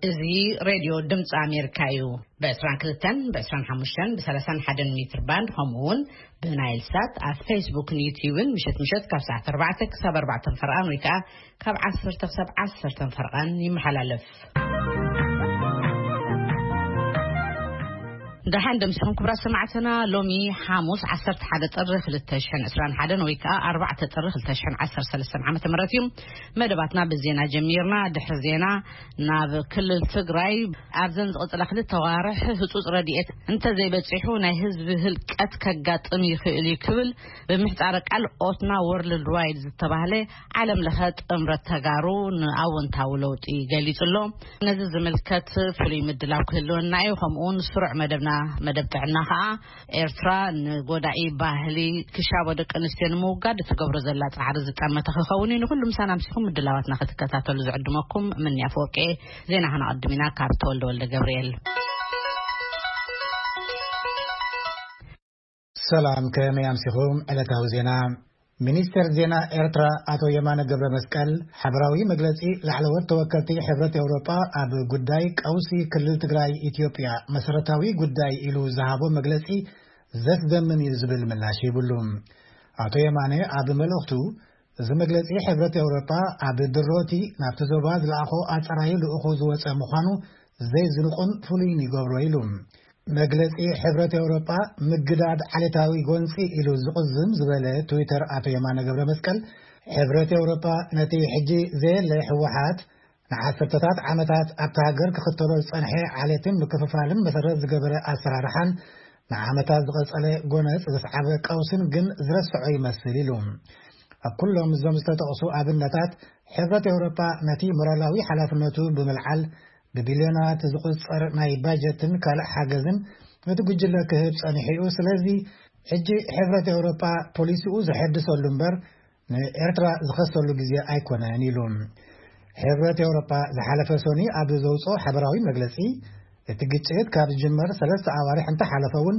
እዚ ሬድዮ ድምፂ ኣሜሪካ እዩ። ብ22፣ ብ25፣ ብ31 ሜትር ባንድ፣ ከምኡ እውን ብናይል ሳት ኣብ ፌስቡክን ዩቲዩብን ምሸት ምሸት ካብ ሰዓት ኣርባዕተ ክሳብ ኣርባዕተ ፈርቓን ወይ ከዓ ካብ ዓሰርተ ክሳብ ዓሰርተ ፈርቓን ይመሓላለፍ። ደሓን ደምሲኹም ክቡራት ሰማዕትና። ሎሚ ሓሙስ ዓሰርተ ሓደ ጥሪ ክልተ ሽሕን ዕስራን ሓደን ወይ ከዓ ኣርባዕተ ጥሪ ክልተ ሽሕን ዓሰርተ ሰለስተን ዓመተ ምህረት እዩ። መደባትና ብዜና ጀሚርና። ድሕሪ ዜና ናብ ክልል ትግራይ። ኣብዘን ዝቕፅላ ክልተ ዋርሕ ህፁፅ ረድኤት እንተዘይበፂሑ ናይ ህዝቢ ህልቀት ከጋጥም ይኽእል እዩ ክብል ብምሕፃረ ቃል ኦትና ወርልድ ዋይድ ዝተባህለ ዓለም ለኸ ጥምረት ተጋሩ ንኣወንታዊ ለውጢ ገሊፁ ኣሎ። ነዚ ዝምልከት ፍሉይ ምድላው ክህልወና እዩ። ከምኡውን ስሩዕ መደብና፣ መደብ ጥዕና ከዓ ኤርትራ ንጎዳኢ ባህሊ ክሻቦ ደቂ ኣንስትዮ ንምውጋድ እትገብሮ ዘላ ጻዕሪ ዝጠመተ ክኸውን እዩ። ንኩሉ ምሳና ኣምሲኹም ምድላዋትና ክትከታተሉ ዝዕድመኩም ምንያ ፍወቄ። ዜና ከነቐድም ኢና ካብ ተወልደ ወልደ ገብርኤል። ሰላም፣ ከመይ ኣምሲኹም? ዕለታዊ ዜና። ሚኒስተር ዜና ኤርትራ ኣቶ የማነ ገብረ መስቀል፣ ሓበራዊ መግለጺ ላዕለዎት ተወከልቲ ሕብረት ኤውሮጳ ኣብ ጉዳይ ቀውሲ ክልል ትግራይ ኢትዮጵያ መሰረታዊ ጉዳይ ኢሉ ዝሃቦ መግለጺ ዘስደምም እዩ ዝብል ምላሽ ሂብሉ። ኣቶ የማነ ኣብ መልእኽቱ፣ እዚ መግለጺ ሕብረት ኤውሮጳ ኣብ ድሮቲ ናብቲ ዞባ ዝለኣኾ ኣጸራዪ ልኡኹ ዝወጸ ምዃኑ ዘይዝንቑን ፍሉይን ይገብሮ ኢሉ። መግለጺ ሕብረት ኤውሮጳ ምግዳድ ዓሌታዊ ጎንጺ ኢሉ ዝቕዝም ዝበለ ትዊተር ኣቶ የማነ ገብረ መስቀል፣ ሕብረት ኤውሮጳ ነቲ ሕጂ ዘየለ ህወሓት ንዓሰርተታት ዓመታት ኣብታ ሃገር ክኽተሎ ዝጸንሐ ዓሌትን ምክፍፋልን መሰረት ዝገበረ ኣሰራርሓን ንዓመታት ዝቐጸለ ጎነጽ ዘስዓበ ቀውስን ግን ዝረስዖ ይመስል ኢሉ። ኣብ ኩሎም እዞም ዝተጠቕሱ ኣብነታት ሕብረት ኤውሮጳ ነቲ ሞራላዊ ሓላፍነቱ ብምልዓል ብቢልዮናት ዝቑጸር ናይ ባጀትን ካልእ ሓገዝን ነቲ ጉጅለ ክህብ ጸኒሑ እዩ። ስለዚ ሕጂ ሕብረት ኤውሮጳ ፖሊሲኡ ዘሐድሰሉ እምበር ንኤርትራ ዝኸሰሉ ግዜ ኣይኮነን ኢሉ። ሕብረት ኤውሮጳ ዝሓለፈ ሶኒ ኣብ ዘውፅኦ ሓበራዊ መግለጺ፣ እቲ ግጭት ካብ ዝጅመር ሰለስተ ኣዋርሕ እንተሓለፈ እውን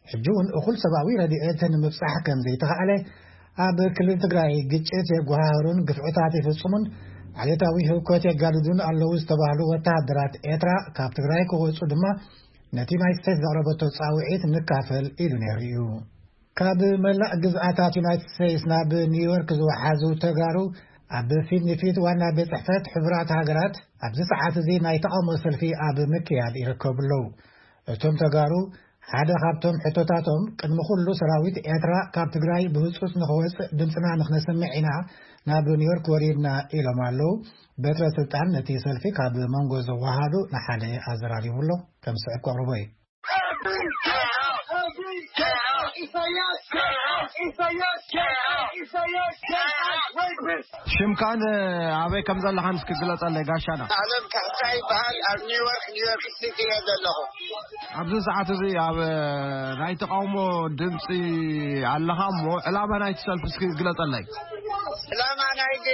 ሕጂ እውን እኹል ሰብኣዊ ረድኤት ንምብጻሕ ከም ዘይተኻእለ፣ ኣብ ክልል ትግራይ ግጭት የጓሃህሩን ግፍዕታት ይፍጽሙን ዓሌታዊ ህውከት የጋድዱን ኣለዉ ዝተባህሉ ወተሃደራት ኤርትራ ካብ ትግራይ ክወጹ ድማ ነቲ ዩናይትድ ስቴትስ ዘቕረበቶ ጻውዒት ንካፈል ኢሉ ነይሩ እዩ። ካብ መላእ ግዝኣታት ዩናይትድ ስቴትስ ናብ ኒውዮርክ ዝወሓዙ ተጋሩ ኣብ ፊት ንፊት ዋና ቤት ጽሕፈት ሕቡራት ሃገራት ኣብዚ ሰዓት እዚ ናይ ተቓውሞ ሰልፊ ኣብ ምክያድ ይርከቡ ኣለዉ። እቶም ተጋሩ ሓደ ካብቶም ሕቶታቶም ቅድሚ ኩሉ ሰራዊት ኤርትራ ካብ ትግራይ ብህጹጽ ንኽወጽእ ድምፅና ንኽነስምዕ ኢና ናብ ኒውዮርክ ወሪድና ኢሎም ኣለዉ። በትረ ስልጣን ነቲ ሰልፊ ካብ መንጎ ዘወሃዱ ንሓደ ኣዘራሪቡ ኣሎ። ከም ስዕብ ከቕርቦ እዩ። ሽምካን ኣበይ ከም ዘለኻን እስኪ ግለጸለይ ጋሻና። ኣለም ካሕሳ ይበሃል። ኣብ ኒውዮርክ፣ ኒውዮርክ ሲቲ እየ ዘለኹ። ኣብዚ ሰዓት እዚ ኣብ ናይ ተቃውሞ ድምፂ ኣለኻ እሞ ዕላማ ናይቲ ሰልፊ እስኪ ግለጸለይ። ዕላማ ናይቲ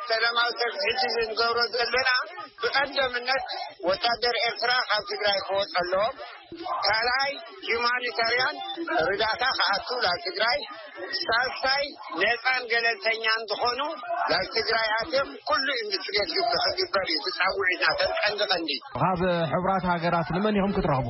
ሰላማዊ ሰልፊ ሕጂ እንገብሮ ዘለና ብቀደምነት ወታደር ኤርትራ ካብ ትግራይ ክወፅ ኣለዎም። ካልኣይ ሂውማኒታርያን ርዳእታ ክኣቱ ናብ ትግራይ። ሳልሳይ ነፃን ገለልተኛን ዝኾኑ ናብ ትግራይ ኣትዮም ኩሉ ኢንቨስቲጌት ክግበር እዩ። ትፃውዒትና ተን ቀንዲ ቀንዲ። ካብ ሕቡራት ሃገራት ንመን ኢኹም ክትረኽቡ?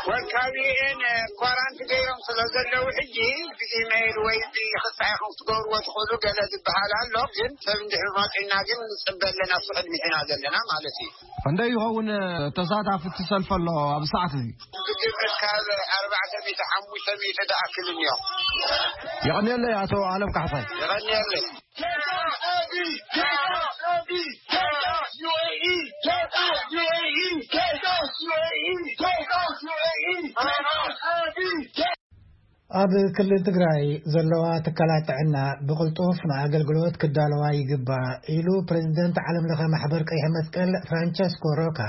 ወካቢኤን ኳራንቲ ገይሮም ስለ ዘለዉ ሕጂ ብኢሜይል ወይ ብክስታይ ኢኹም ክትገብርዎ ትኽእሉ ገለ ዝበሃል ኣሎ። ግን ሰብ እንድሕር መፂና ግን ንፅበ ኣለና፣ ኣብቲ ቅድሚት ኢና ዘለና ማለት እዩ። ክንደይ ይኸውን ተሳታፊ እቲ ሰልፊ ኣሎ ኣብዚ ሰዓት እዚ? ብግምት ካብ ኣርባዕተ ሚእቲ ሓሙሽተ ሚእቲ ዝኣክል እኒኦ። የቐንየለይ ኣቶ ኣለም ካሕሳይ። የቐንየለይ። ኣብ ክልል ትግራይ ዘለዋ ትካላት ጥዕና ብቕልጡፍ ንኣገልግሎት ክዳለዋ ይግባእ ኢሉ ፕሬዚደንት ዓለም ለኸ ማሕበር ቀይሕ መስቀል ፍራንቸስኮ ሮካ።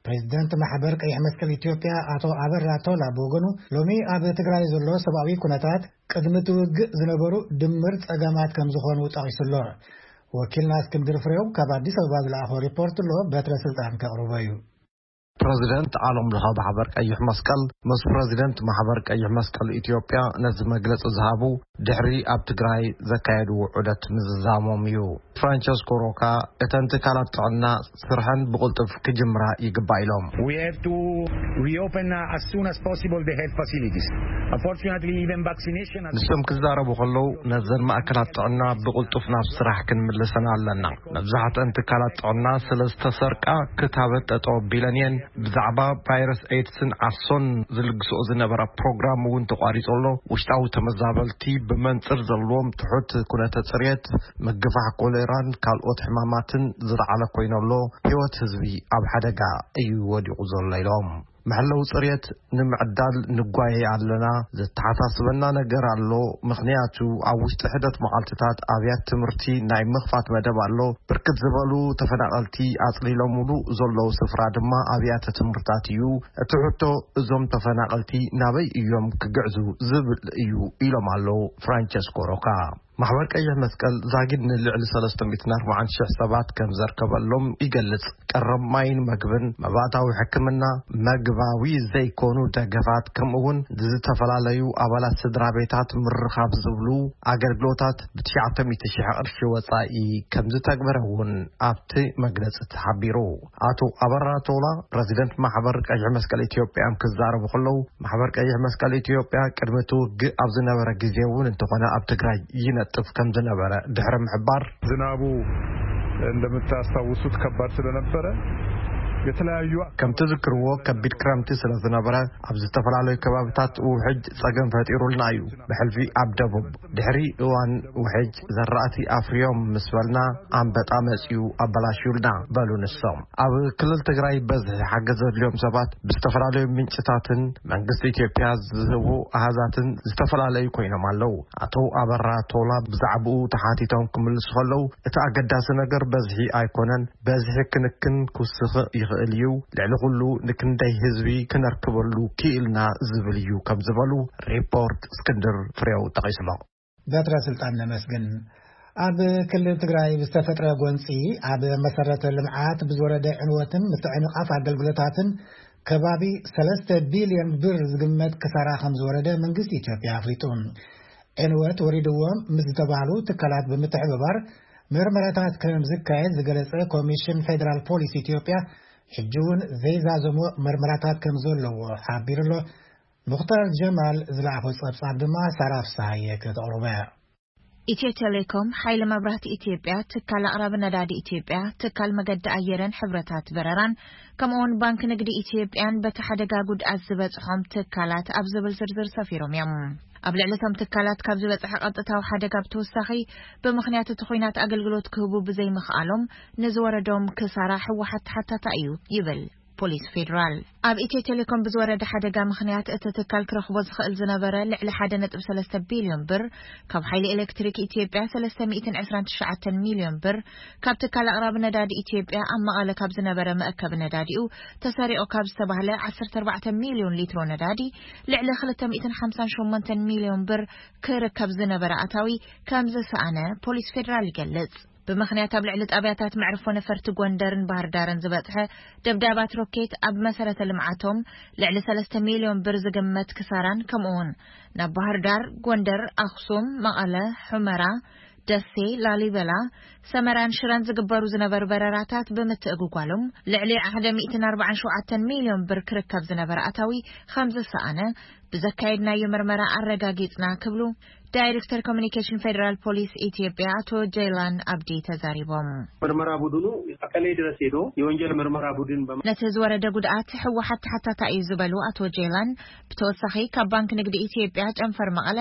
ፕሬዚደንት ማሕበር ቀይሕ መስቀል ኢትዮጵያ ኣቶ ኣበራ ቶላ ብወገኑ ሎሚ ኣብ ትግራይ ዘሎ ሰብኣዊ ኩነታት ቅድሚ እቲ ውግእ ዝነበሩ ድምር ጸገማት ከም ዝኾኑ ጠቒሱ ኣሎ። ወኪልና እስክንድር ፍሬው ካብ ኣዲስ ኣበባ ዝለኣኾ ሪፖርት ኣሎ፣ በትረ ስልጣን ከቕርቦ እዩ። ፕረዚደንት ዓለም ለኸ ማሕበር ቀይሕ መስቀል ምስ ፕረዚደንት ማሕበር ቀይሕ መስቀል ኢትዮጵያ ነዚ መግለጺ ዝሃቡ ድሕሪ ኣብ ትግራይ ዘካየድዎ ዑደት ምዝዛሞም እዩ። ፍራንቸስኮ ሮካ፣ እተን ትካላት ጥዕና ስርሐን ብቕልጡፍ ክጅምራ ይግባእ ኢሎም። We have to reopen, uh, as soon as possible the health facilities. Unfortunately, even vaccination has ንሶም ክዛረቡ ከለዉ፣ ነዘን ማእከላት ጥዕና ብቕልጡፍ ናብ ስራሕ ክንምልሰን ኣለና። መብዛሕትአን ትካላት ጥዕና ስለ ዝተሰርቃ፣ ክታበት ጠጠው ኣቢለን እየን። ብዛዕባ ቫይረስ ኤድስን ዓሶን ዝልግስኦ ዝነበረ ፕሮግራም እውን ተቋሪጹ ኣሎ። ውሽጣዊ ተመዛበልቲ ብመንጽር ዘለዎም ትሑት ኩነተ ጽሬት፣ ምግፋሕ ኮሌራን ካልኦት ሕማማትን ዝለዓለ ኮይኑ ኣሎ። ህይወት ህዝቢ ኣብ ሓደጋ እዩ ወዲቑ ዘሎ ኢሎም። መሐለዊ ጽሬት ንምዕዳል ንጓየ ኣለና። ዘተሓሳስበና ነገር ኣሎ። ምኽንያቱ ኣብ ውሽጢ ሕደት መዓልትታት ኣብያት ትምህርቲ ናይ ምኽፋት መደብ ኣሎ። ብርክት ዝበሉ ተፈናቐልቲ ኣጽሊሎምሉ ዘለዉ ስፍራ ድማ ኣብያተ ትምህርታት እዩ። እቲ ሕቶ፣ እዞም ተፈናቐልቲ ናበይ እዮም ክግዕዙ ዝብል እዩ ኢሎም ኣለዉ ፍራንቸስኮ ሮካ። ማሕበር ቀይሕ መስቀል ዛጊድ ንልዕሊ ሰለስተ ሚእትን ኣርባዓን ሽሕ ሰባት ከም ዘርከበሎም ይገልጽ። ቀረብ ማይን መግብን፣ መባእታዊ ሕክምና፣ መግባዊ ዘይኮኑ ደገፋት፣ ከምኡ እውን ዝተፈላለዩ ኣባላት ስድራ ቤታት ምርኻብ ዝብሉ ኣገልግሎታት ብትሽዓተ ሚእቲ ሽሕ ቅርሺ ወጻኢ ከም ዝተግበረ እውን ኣብቲ መግለጺ ተሓቢሩ። ኣቶ ኣበራ ቶላ፣ ፕረዚደንት ማሕበር ቀይሕ መስቀል ኢትዮጵያ፣ ክዛረቡ ከለዉ፣ ማሕበር ቀይሕ መስቀል ኢትዮጵያ ቅድሚ እቲ ውግእ ኣብ ዝነበረ ግዜ እውን እንተኾነ ኣብ ትግራይ ይነጥፍ ከም ዝነበረ ድሕሪ ምሕባር፣ ዝናቡ እንደምታስታውሱት ከባድ ስለነበረ፣ የተለያዩ ከም ትዝክርዎ፣ ከቢድ ክረምቲ ስለ ዝነበረ፣ ኣብ ዝተፈላለዩ ከባብታት ውሕጅ ጸገም ፈጢሩልና እዩ። ብሕልፊ ኣብ ደቡብ፣ ድሕሪ እዋን ውሕጅ ዘራእቲ ኣፍርዮም ምስ በልና፣ ኣንበጣ መጺኡ ኣበላሽዩልና፣ በሉ ንሶም። ኣብ ክልል ትግራይ በዝሒ ሓገዝ ዘድልዮም ሰባት ብዝተፈላለዩ ምንጭታትን መንግስቲ ኢትዮጵያ ዝህቡ ኣሃዛትን ዝተፈላለዩ ኮይኖም ኣለዉ። ኣቶ ኣበራ ቶላ ብዛዕባኡ ተሓቲቶም ክምልሱ ከለዉ፣ እቲ ኣገዳሲ ነገር በዝሒ ኣይኮነን፣ በዝሒ ክንክን ክውስኽ ይኽእል እዩ፣ ልዕሊ ኩሉ ንክንደይ ህዝቢ ክነርክበሉ ክኢልና ዝብል እዩ ከም ዝበሉ ሪፖርት እስክንድር ፍሬው ጠቒስሎ። በትረ ስልጣን ነመስግን። ኣብ ክልል ትግራይ ብዝተፈጥረ ጎንፂ ኣብ መሰረተ ልምዓት ብዝወረደ ዕንወትን ምትዕንቓፍ ኣገልግሎታትን ከባቢ ሰለስተ ቢልዮን ብር ዝግመት ክሳራ ከም ዝወረደ መንግስቲ ኢትዮጵያ ኣፍሊጡ። ዕንወት ወሪድዎም ምስ ዝተባህሉ ትካላት ብምትሕብባር ምርመራታት ከም ዝካየድ ዝገለጸ ኮሚሽን ፌደራል ፖሊስ ኢትዮጵያ፣ ሕጂ እውን ዘይዛዘሞ ምርመራታት ከም ዘለዎ ሓቢሩ ኣሎ። ሙኽታር ጀማል ዝለኣኾ ጸብጻብ ድማ ሳራ ፍስሃየ ከተቕርቦ እያ። ኢትዮ ቴሌኮም፣ ሓይሊ መብራህቲ ኢትዮጵያ፣ ትካል ኣቕራቢ ነዳዲ ኢትዮጵያ፣ ትካል መገዲ ኣየርን ሕብረታት በረራን፣ ከምኡውን ባንክ ንግዲ ኢትዮጵያን በቲ ሓደጋ ጉድኣት ዝበጽሖም ትካላት ኣብ ዝብል ዝርዝር ሰፊሮም እዮም። ኣብ ልዕሊ እቶም ትካላት ካብ ዝበጽሐ ቀጥታዊ ሓደጋ ብተወሳኺ፣ ብምኽንያት እቲ ኹናት ኣገልግሎት ክህቡ ብዘይምኽኣሎም ንዝወረዶም ክሳራ ህወሓት ተሓታታ እዩ ይብል ፖሊስ ፌዴራል። ኣብ ኢትዮ ቴሌኮም ብዝወረደ ሓደጋ ምኽንያት እቲ ትካል ክረኽቦ ዝኽእል ዝነበረ ልዕሊ ሓደ ነጥቢ ሰለስተ ቢልዮን ብር፣ ካብ ሓይሊ ኤሌክትሪክ ኢትዮጵያ ሰለስተ ሚእትን ዕስራን ትሽዓተን ሚልዮን ብር፣ ካብ ትካል ኣቕራቢ ነዳዲ ኢትዮጵያ ኣብ መቐለ ካብ ዝነበረ መእከቢ ነዳዲኡ ተሰሪቑ ካብ ዝተባህለ ዓሰርተ ኣርባዕተ ሚልዮን ሊትሮ ነዳዲ ልዕሊ ክልተ ሚእትን ሓምሳን ሸሞንተን ሚልዮን ብር ክርከብ ዝነበረ ኣታዊ ከም ዝሰኣነ ፖሊስ ፌዴራል ይገልጽ። ብምኽንያት ኣብ ልዕሊ ጣብያታት መዕርፎ ነፈርቲ ጎንደርን ባህር ዳርን ዝበጽሐ ደብዳባት ሮኬት ኣብ መሰረተ ልምዓቶም ልዕሊ ሰለስተ ሚልዮን ብር ዝግመት ክሳራን፣ ከምኡውን ናብ ባህር ዳር፣ ጎንደር፣ ኣኽሱም፣ መቐለ፣ ሑመራ፣ ደሴ፣ ላሊበላ፣ ሰመራን ሽረን ዝግበሩ ዝነበሩ በረራታት ብምትእግጓሎም ልዕሊ ሓደ ሚእትን ኣርባዓን ሸውዓተን ሚልዮን ብር ክርከብ ዝነበረ ኣታዊ ከም ዝሰኣነ ብዘካየድናዮ ምርመራ ኣረጋጊጽና ክብሉ ዳይሬክተር ኮሚኒኬሽን ፌደራል ፖሊስ ኢትዮጵያ ኣቶ ጀይላን ኣብዲ ተዛሪቦም። ምርመራ ቡድኑ መቀሌ ድረስ ሄዶ የወንጀል ምርመራ ቡድን በመ- ነቲ ዝወረደ ጉድኣት ህወሓት ተሓታታ እዩ ዝበሉ ኣቶ ጀይላን፣ ብተወሳኺ ካብ ባንክ ንግዲ ኢትዮጵያ ጨንፈር መቐለ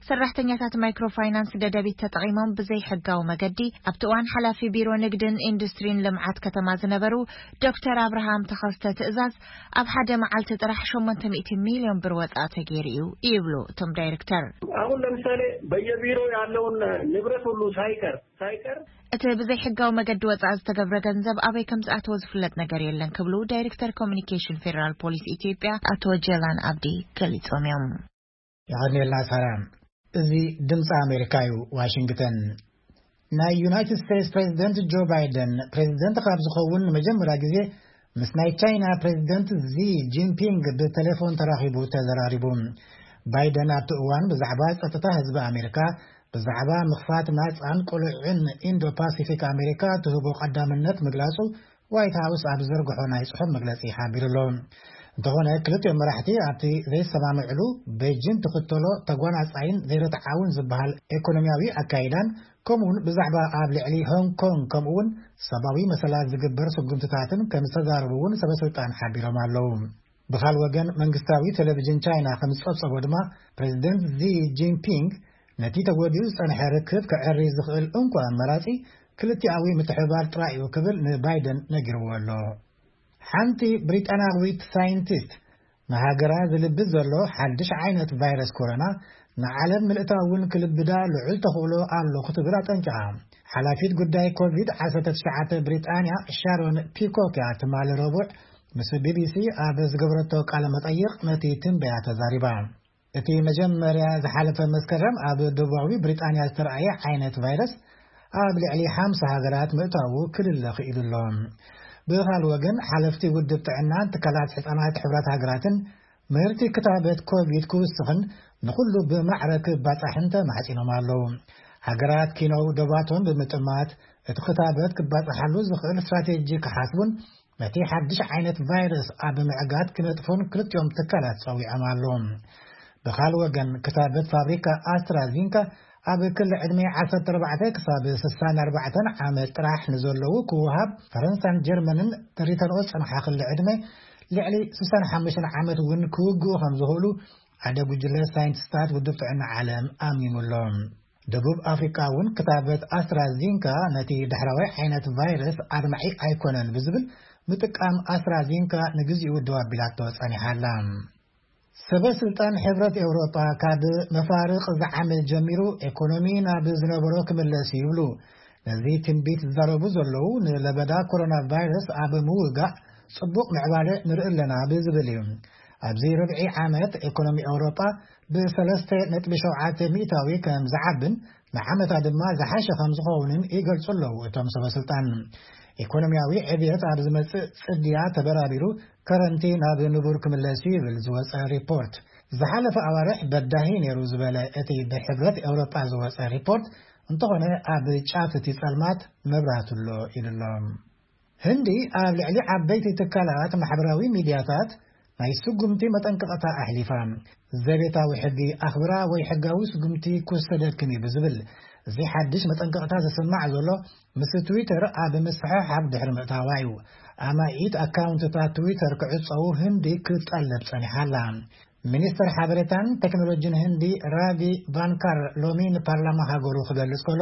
ሰራሕተኛታት ማይክሮ ፋይናንስ ደደቢት ተጠቒሞም ብዘይሕጋዊ መገዲ ኣብቲ እዋን ሓላፊ ቢሮ ንግድን ኢንዱስትሪን ልምዓት ከተማ ዝነበሩ ዶክተር ኣብርሃም ተኸስተ ትእዛዝ ኣብ ሓደ መዓልቲ ጥራሕ ሸሞንተ ሚእቲ ሚልዮን ብር ወጻኢ ተገይሩ እዩ ይብሉ እቶም ዳይሬክተር። አሁን ለምሳሌ በየቢሮ ያለውን ንብረት ሁሉ ሳይቀር ሳይቀር እቲ ብዘይሕጋዊ መገዲ ወጻኢ ዝተገብረ ገንዘብ ኣበይ ከም ዝኣተወ ዝፍለጥ ነገር የለን ክብሉ ዳይሬክተር ኮሚኒኬሽን ፌደራል ፖሊስ ኢትዮጵያ ኣቶ ጀላን ኣብዲ ገሊጾም እዮም። የቐንየልና ሳራ። እዚ ድምፂ ኣሜሪካ እዩ፣ ዋሽንግተን። ናይ ዩናይትድ ስቴትስ ፕሬዚደንት ጆ ባይደን ፕሬዚደንት ካብ ዝኸውን ንመጀመርያ ግዜ ምስ ናይ ቻይና ፕሬዚደንት ዚ ጂንፒንግ ብቴሌፎን ተራኺቡ ተዘራሪቡ። ባይደን ኣብቲ እዋን ብዛዕባ ጸጥታ ህዝቢ ኣሜሪካ፣ ብዛዕባ ምኽፋት ናጻን ቅሉዕን ኢንዶ ፓሲፊክ ኣሜሪካ ትህቦ ቀዳምነት ምግላጹ ዋይት ሃውስ ኣብ ዘርግሖ ናይ ጽሑፍ መግለጺ ሓቢሩ ኣሎ። እንተኾነ ክልቲኦም መራሕቲ ኣብቲ ዘይሰማምዕሉ፣ ቤጂን ትኽተሎ ተጓናጻይን ዘይርትዓውን ዝበሃል ኢኮኖሚያዊ ኣካይዳን፣ ከምኡውን ብዛዕባ ኣብ ልዕሊ ሆንግ ኮንግ ከምኡውን ሰብኣዊ መሰላት ዝግበር ስጉምትታትን ከም ዝተዛረቡ እውን ሰበስልጣን ሓቢሮም ኣለዉ። ብኻል ወገን መንግስታዊ ቴሌቪዥን ቻይና ከም ዝጸብጸቦ ድማ፣ ፕሬዚደንት ዚ ጂንፒንግ ነቲ ተጎዲኡ ዝጸንሐ ርክብ ክዕሪ ዝኽእል እንኳ ኣመራጺ ክልቲኣዊ ምትሕብባር ጥራይ እዩ ክብል ንባይደን ነጊርዎ ኣሎ። ሓንቲ ብሪጣናዊት ሳይንቲስት ንሃገራ ዝልብስ ዘሎ ሓድሽ ዓይነት ቫይረስ ኮሮና ንዓለም ምልእታ እውን ክልብዳ ልዑል ተኽእሎ ኣሎ ክትብል ኣጠንቂቓ። ሓላፊት ጉዳይ ኮቪድ ዓሰርተ ትሽዓተ ብሪጣንያ ሻሮን ፒኮክ እያ ትማሊ ረቡዕ ምስ ቢቢሲ ኣብ ዝገበረቶ ቃለ መጠይቕ ነቲ ትንበያ ተዛሪባ። እቲ መጀመርያ ዝሓለፈ መስከረም ኣብ ደቡባዊ ብሪጣንያ ዝተረኣየ ዓይነት ቫይረስ ኣብ ልዕሊ ሓምሳ ሃገራት ምእታዉ ክልለ ክኢሉ ኣሎ። ብኻል ወገን ሓለፍቲ ውድብ ጥዕናን ትካላት ሕፃናት ሕብራት ሃገራትን ምህርቲ ክታበት ኮቪድ ክውስኽን ንኹሉ ብማዕረ ክባጻሕን ተማሕጺኖም ኣለዉ። ሃገራት ኪኖው ደባቶም ብምጥማት እቲ ክታበት ክባጻሓሉ ዝኽእል ስትራቴጂ ክሓስቡን ነቲ ሓድሽ ዓይነት ቫይረስ ኣብ ምዕጋት ክነጥፉን ክልቲኦም ትካላት ጸዊዖም ኣለዉ። ብኻል ወገን ክታበት ፋብሪካ ኣስትራዚንካ ኣብ ክሊ ዕድመ ዓሰርተ ኣርባዕተ ክሳብ ስሳን ኣርባዕተን ዓመት ጥራሕ ንዘለዉ ክወሃብ፣ ፈረንሳን ጀርመንን ተሪተንኦ ዝጸንሓ ክሊ ዕድመ ልዕሊ ስሳን ሓሙሽተን ዓመት እውን ክውግኡ ከም ዝኽእሉ ሓደ ጉጅለ ሳይንቲስታት ውድብ ጥዕና ዓለም ኣሚሙ ኣሎ። ደቡብ ኣፍሪቃ እውን ክታበት ኣስትራዚንካ ነቲ ዳሕራዋይ ዓይነት ቫይረስ ኣድማዒ ኣይኮነን ብዝብል ምጥቃም ኣስትራዚንካ ንግዚኡ ደው ኣቢላቶ ጸኒሓ ኣላ። ሰበ ስልጣን ሕብረት ኤውሮጳ ካብ መፋርቕ ዝዓመት ጀሚሩ ኤኮኖሚ ናብ ዝነበሮ ክምለስ ይብሉ። ነዚ ትንቢት ዝዛረቡ ዘለዉ ንለበዳ ኮሮና ቫይረስ ኣብ ምውጋእ ጽቡቕ ምዕባለ ንርኢ ኣለና ብዝብል እዩ። ኣብዚ ርብዒ ዓመት ኤኮኖሚ ኤውሮጳ ብሰለስተ ነጥቢ ሸውዓተ ሚእታዊ ከም ዝዓብን ንዓመታ ድማ ዝሓሸ ከም ዝኸውንን ይገልጹ ኣለዉ እቶም ሰበ ስልጣን። ኢኮኖሚያዊ ዕብየት ኣብ ዝመጽእ ጽድያ ተበራቢሩ ከረንቲ ናብ ንቡር ክምለስ እዩ ይብል ዝወጸ ሪፖርት። ዝሓለፈ ኣዋርሕ በዳሂ ነይሩ ዝበለ እቲ ብሕብረት ኤውሮጳ ዝወጸ ሪፖርት እንተኾነ ኣብ ጫፍ እቲ ጸልማት መብራህቲ ኣሎ ኢሉ ኣሎ። ህንዲ ኣብ ልዕሊ ዓበይቲ ትካላት ማሕበራዊ ሚድያታት ናይ ስጉምቲ መጠንቀቕታ ኣሕሊፋ። ዘቤታዊ ሕጊ ኣኽብራ ወይ ሕጋዊ ስጉምቲ ክውሰደክን እዩ ብዝብል እዚ ሓድሽ መጠንቀቕታ ዝስማዕ ዘሎ ምስ ትዊተር ኣብ ምስሕሓብ ድሕሪ ምእታዋ እዩ። ኣማኢት ኣካውንትታት ትዊተር ክዕጸዉ ህንዲ ክትጠልብ ጸኒሓ ኣላ። ሚኒስተር ሓበሬታን ቴክኖሎጂን ህንዲ ራቪ ቫንካር ሎሚ ንፓርላማ ሃገሩ ክገልጽ ከሎ፣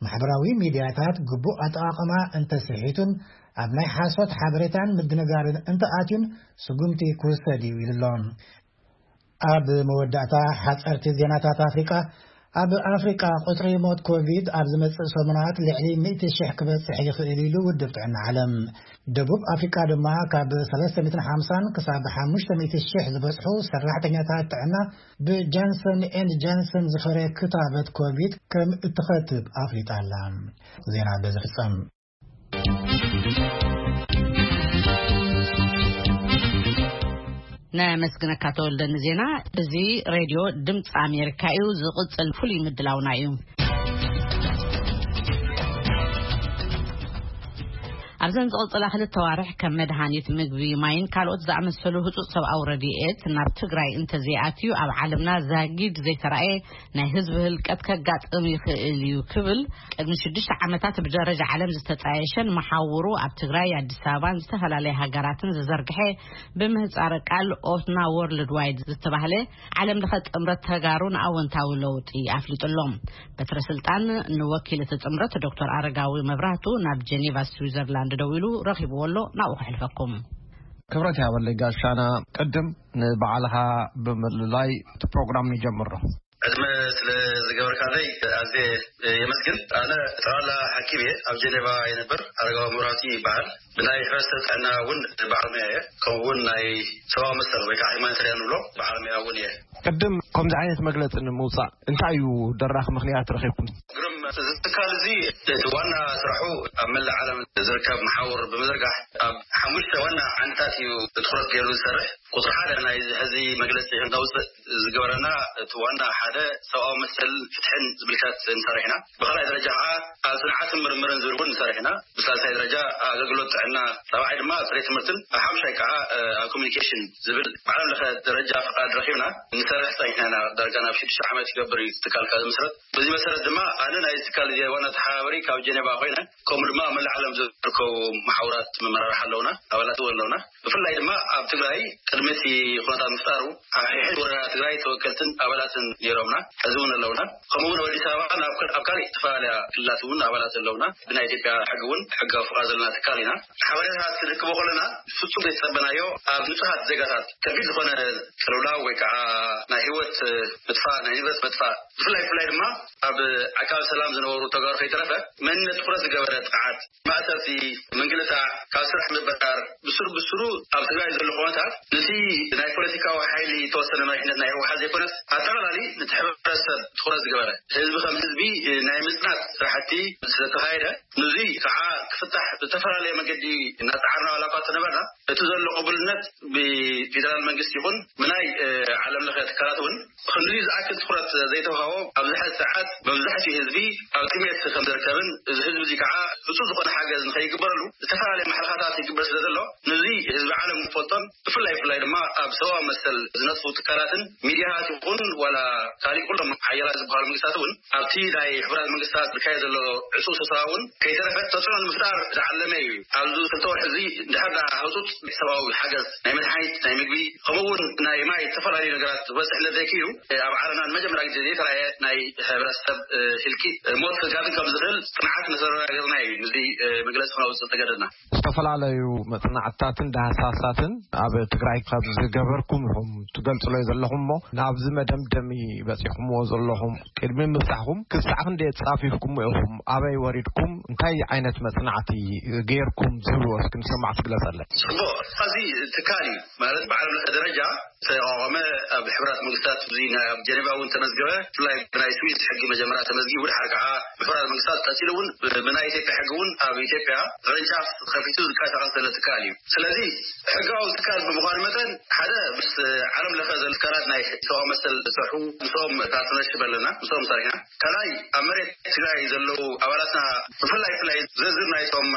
ማሕበራዊ ሚድያታት ግቡእ ኣጠቓቕማ እንተስሒቱን ኣብ ናይ ሓሶት ሓበሬታን ምድንጋርን እንተኣትዩን ስጉምቲ ክውሰድ እዩ ኢሉ ኣሎ። ኣብ መወዳእታ ሓጸርቲ ዜናታት ኣፍሪቃ፣ ኣብ ኣፍሪቃ ቁጽሪ ሞት ኮቪድ ኣብ ዝመጽእ ሰሙናት ልዕሊ ሚእቲ ሽሕ ክበጽሕ ይኽእል ኢሉ ውድብ ጥዕና ዓለም። ደቡብ ኣፍሪቃ ድማ ካብ ሰለስተ ሚእትን ሓምሳን ክሳብ ሓሙሽተ ሚእቲ ሽሕ ዝበጽሑ ሰራሕተኛታት ጥዕና ብጃንሰን ኤንድ ጃንሰን ዝፈረ ክታበት ኮቪድ ከም እትኸትብ ኣፍሊጣ ኣላ። ዜና በዚ ፍጸም። ነመስግነካ ተወልደ ንዜና። እዚ ሬድዮ ድምፂ ኣሜሪካ እዩ። ዝቕፅል ፍሉይ ምድላውና እዩ። ኣብዘን ዝቕፅላ ክልተ ዋርሕ ከም መድሃኒት፣ ምግቢ፣ ማይን ካልኦት ዝኣመሰሉ ህፁፅ ሰብኣዊ ረድኤት ናብ ትግራይ እንተዘይኣትዩ ኣብ ዓለምና ዛጊድ ዘይተራእየ ናይ ህዝቢ ህልቀት ከጋጥም ይኽእል እዩ ክብል ቅድሚ ሽዱሽተ ዓመታት ብደረጃ ዓለም ዝተጣየሸን መሓውሩ ኣብ ትግራይ፣ ኣዲስ ኣበባን ዝተፈላለየ ሃገራትን ዝዘርግሐ ብምህፃረ ቃል ኦትና ወርልድ ዋይድ ዝተባህለ ዓለም ለኸ ጥምረት ተጋሩ ንኣወንታዊ ለውጢ ኣፍሊጡ ኣሎ። በትረ ስልጣን ንወኪል እቲ ጥምረት ዶክተር ኣረጋዊ መብራህቱ ናብ ጀኔቫ ስዊዘርላንድ ደዊሉ ረኺብዎ ኣሎ። ናብኡ ከሕልፈኩም። ክብረት ያበለይ ጋሻና፣ ቅድም ንባዕልኻ ብምልላይ እቲ ፕሮግራም ንጀምሮ። ዕድመ ስለ ዝገበርካለይ ኣዝየ የመስግን። ኣነ ጠቕላላ ሓኪም እየ። ኣብ ጀኔቫ የንብር። ኣረጋዊ መብራህቱ ይበሃል። ብናይ ሕብረተሰብ ጥዕና እውን በዓል ሞያ እየ። ከምኡ እውን ናይ ሰብኣዊ መሰል ወይ ከዓ ሂማኒታርያን ንብሎ በዓል ሞያ እውን እየ። ቅድም ከምዚ ዓይነት መግለፂ ንምውፃእ እንታይ እዩ ደራኺ ምኽንያት ረኺብኩም? ግርም፣ እዚ ትካል እዚ እቲ ዋና ስራሑ ኣብ መላእ ዓለም ዝርከብ መሓውር ብምዝርጋሕ ኣብ ሓሙሽተ ዋና ዓንድታት እዩ ትኹረት ገይሩ ዝሰርሕ። ቁፅሪ ሓደ ናይ እዚ ሕዚ መግለፂ ከነውፅእ ዝገበረና እቲ ዋና ሓደ ሰብኣዊ መሰል ፍትሕን ዝምልከት ንሰርሕ ኢና። ብኻልኣይ ደረጃ ከዓ ኣብ ፅንዓትን ምርምርን ዝብል እውን ንሰርሕ ኢና። ብሳልሳይ ደረጃ ኣገልግሎት ጥዕና፣ ራብዓይ ድማ ኣብ ፅሬት ትምህርትን፣ ኣብ ሓሙሻይ ከዓ ኣብ ኮሚኒኬሽን ዝብል ብዓለም ለኸ ደረጃ ፍቃድ ረኪብና ንሰርሕ ፀኒሕና ኢና። ዳርጋ ናብ ሽዱሽተ ዓመት ይገብር እዩ ትካል ካብ ዝምስረት። በዚ መሰረት ድማ ኣነ ናይ ትካል እዚ ዋና ተሓባበሪ ካብ ጀኔቫ ኮይነ፣ ከምኡ ድማ ኣብ መላእ ዓለም ዝርከቡ መሓውራት መመራርሒ ኣለውና፣ ኣባላት እውን ኣለውና። ብፍላይ ድማ ኣብ ትግራይ ቅድሚ እቲ ኩነታት ምፍጣሩ ኣብ ሕድሕድ ወረዳ ትግራይ ተወከልትን ኣባላትን ነይሮምና፣ ሕዚ እውን ኣለውና። ከምኡ እውን ኣብ ኣዲስ ኣበባ ኣብ ካል- ኣብ ካልእ ዝተፈላለያ ክልላት እውን ኣባላት ኣለውና። ብናይ ኢትዮጵያ ሕጊ እውን ሕጋዊ ፍቓድ ዘለና ትካል ኢና። ሓበሬታታት ክንረክቦ ከለና ፍጹም ዘይተጸበናዮ ኣብ ንጹሃት ዜጋታት ከቢድ ዝኾነ ቅልውላው ወይ ከዓ ናይ ህይወት ምጥፋእ፣ ናይ ንብረት ምጥፋእ፣ ብፍላይ ብፍላይ ድማ ኣብ ዓቃቢ ሰላም ዝነበሩ ተጋሩ ከይተረፈ መንነት ትኹረት ዝገበረ ጥቕዓት፣ ማእሰርቲ፣ ምንግልታዕ፣ ካብ ስራሕ ምብራር፣ ብስሩ ብስሩ ኣብ ትግራይ ዘሎ ኩነታት ነቲ ናይ ፖለቲካዊ ሓይሊ ዝተወሰነ መሪሕነት ናይ ህወሓት ዘይኮነስ ኣጠቓላሊ ነቲ ሕብረተሰብ ትኹረት ዝገበረ፣ ህዝቢ ከም ህዝቢ ናይ ምጽናት ስራሕቲ ስለተኻየደ፣ ንዙይ ከዓ ክፍታሕ ብዝተፈላለየ መገዲ እናፀዓርና ዋላ እኳ እንተነበርና፣ እቲ ዘሎ ቅቡልነት ብፌደራል መንግስቲ ይኹን ብናይ ዓለም ለኸ ትካላት እውን ክንዲ ዝኣክል ትኹረት ዘይተውሃቦ፣ ኣብዚ ሕዚ ሰዓት መብዛሕትኡ ህዝቢ ኣብ ጥሜት ከም ዝርከብን፣ እዚ ህዝቢ እዚ ከዓ ህፁፅ ዝኾነ ሓገዝ ንኸይግበረሉ ዝተፈላለየ ማሕለኻታት ይግበር ስለ ዘሎ፣ ነዚ ህዝቢ ዓለም ክፈልጦን ብፍላይ ብፍላይ ድማ ኣብ ሰብኣዊ መሰል ዝነጥፉ ትካላትን ሚድያታት ይኹን ዋላ ካሊእ ኩሎም ሓያላት ዝበሃሉ መንግስታት እውን ኣብቲ ናይ ሕቡራት መንግስታት ዝካየድ ዘሎ ዕፁብ ስብሰባ እውን ከይተረፈ ተፅዕኖ ንምፍጣር ዝዓለመ እዩ። ኣብዚ ክልተ ወርሒ እዚ እንድሕር ደኣ ህፁፅ ሰብኣዊ ሓገዝ ናይ መድሓኒት፣ ናይ ምግቢ፣ ከምኡ እውን ናይ ማይ ዝተፈላለዩ ነገራት ዝበፅሕ እንተዘይክዩ፣ ኣብ ዓለምና ንመጀመርያ ግዜ ዘይተራእየ ናይ ሕብረተሰብ ህልቂት ሞት ከጋጥም ከም ዝኽእል ፅንዓት መሰረጋገፅና እዩ። ንዚ መግለፂ ክነውፅእ ዝተገደድና። ዝተፈላለዩ መፅናዕትታትን ዳህሳሳትን ኣብ ትግራይ ካብ ዝገበርኩም ኢኹም ትገልፅሎ ዘለኹም እሞ፣ ናብዚ መደምደሚ በፂኹምዎ ዘለኹም ቅድሚ ምብፃሕኩም ክሳዕ ክንደይ ፃፊፍኩም ኢኹም? ኣበይ ወሪድኩም? እንታይ ዓይነት መፅናዕቲ ገይርኩም? ዝብልዎ እስኪ ንሰማዕቲ ግለፀለይ። ፅቡቕ፣ እዚ ትካል እዩ ማለት ብዓለም ለኸ ደረጃ ዝተቋቋመ ኣብ ሕቡራት መንግስታት እዚ ናይ ኣብ ጀኔቫ እውን ተመዝገበ፣ ብፍላይ ብናይ ስዊስ ሕጊ መጀመርያ ተመዝጊቡ፣ ድሓር ከዓ ብሕቡራት መንግስታት ቀፂሉ እውን ብናይ ኢትዮጵያ ሕጊ እውን ኣብ ኢትዮጵያ ቅርንጫፍ ከፊቱ ዝንቀሳቐስ ዘሎ ትካል እዩ። ስለዚ ሕጋዊ ትካል ብምዃኑ መጠን ሓደ ምስ ዓለም ለኸ ዘሎ ትካላት ናይ ሰብኣዊ መሰል ዝሰርሑ ምስኦም ፓርትነርሽፕ ኣለና፣ ምስኦም ሰሪሕና። ካልኣይ ኣብ መሬት ትግራይ ዘለዉ ኣባላትና ብፍላይ ብፍላይ ዝርዝር ናይቶም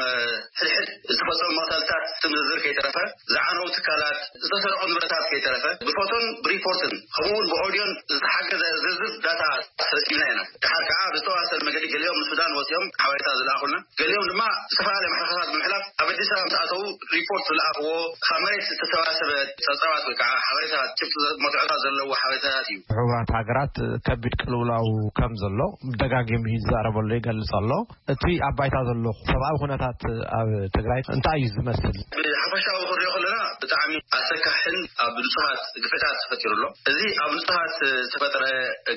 ሕድሕድ ዝተፈፀሙ መቕተልታት ስም ዝርዝር ከይተረፈ ዝዓነው ትካላት፣ ዝተሰርዑ ንብረታት ከይተረፈ ብፎቶን ብሪፖርትን ከምኡ እውን ብኦድዮን ዝተሓገዘ ዝርዝር ዳታ ሰብሲብና ኢና። ድሓር ከዓ ብዝተዋሰነ መገዲ ገሊኦም ንሱዳን ወፂኦም ሓበሬታ ዝለኣኹልና፣ ገሊኦም ድማ ዝተፈላለየ ማሕለኻታት ብምሕላፍ ኣብ ኣዲስ ኣበባ ምስ ኣተዉ ሪፖርት ዝለኣኽዎ ካብ መሬት ዝተሰባሰበ ፀብፃባት ወይ ከዓ ሓበሬታ ጭብጢ መትዖታት ዘለዎ ሓበሬታታት እዩ። ሕቡራት ሃገራት ከቢድ ቅልውላው ከም ዘሎ ደጋጊሙ ይዛረበሉ ይገልጽ ኣሎ። እቲ ኣብ ባይታ ዘሎ ሰብኣዊ ኩነታት ኣብ ትግራይ እንታይ እዩ ዝመስል? ብሓፈሻዊ ክንሪኦ ከለና ብጣዕሚ ኣሰካሕን ኣብ ንጹሃት ግፍዕታት ተፈጢሩ ኣሎ። እዚ ኣብ ንጹሃት ዝተፈጠረ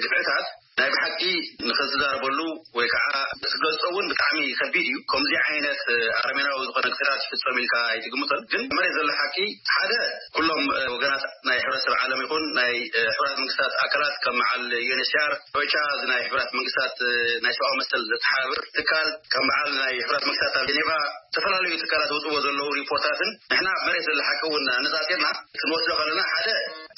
ግፍዕታት ናይ ብሓቂ ንኽትዛረበሉ ወይ ከዓ ክትገልጾ እውን ብጣዕሚ ከቢድ እዩ። ከምዚ ዓይነት ኣረሜናዊ ዝኾነ ግፍዕታት ይፍጸም ኢልካ ኣይትግምቶን። ግን መሬት ዘሎ ሓቂ ሓደ ኩሎም ወገናት ናይ ሕብረተሰብ ዓለም ይኹን ናይ ሕቡራት መንግስታት ኣካላት ከም መዓል ዩኤንኤችሲኣር፣ ኦቻ፣ እዚ ናይ ሕቡራት መንግስታት ናይ ሰብኣዊ መሰል ዘተሓባብር ትካል፣ ከም በዓል ናይ ሕቡራት መንግስታት ኣብ ጀኔቫ ዝተፈላለዩ ትካላት ዝወፅዎ ዘለዉ ሪፖርታትን ንሕና መሬት ዘሎ ሓቂ እውን ኣነፃፂርና ክንወስዶ ከለና ሓደ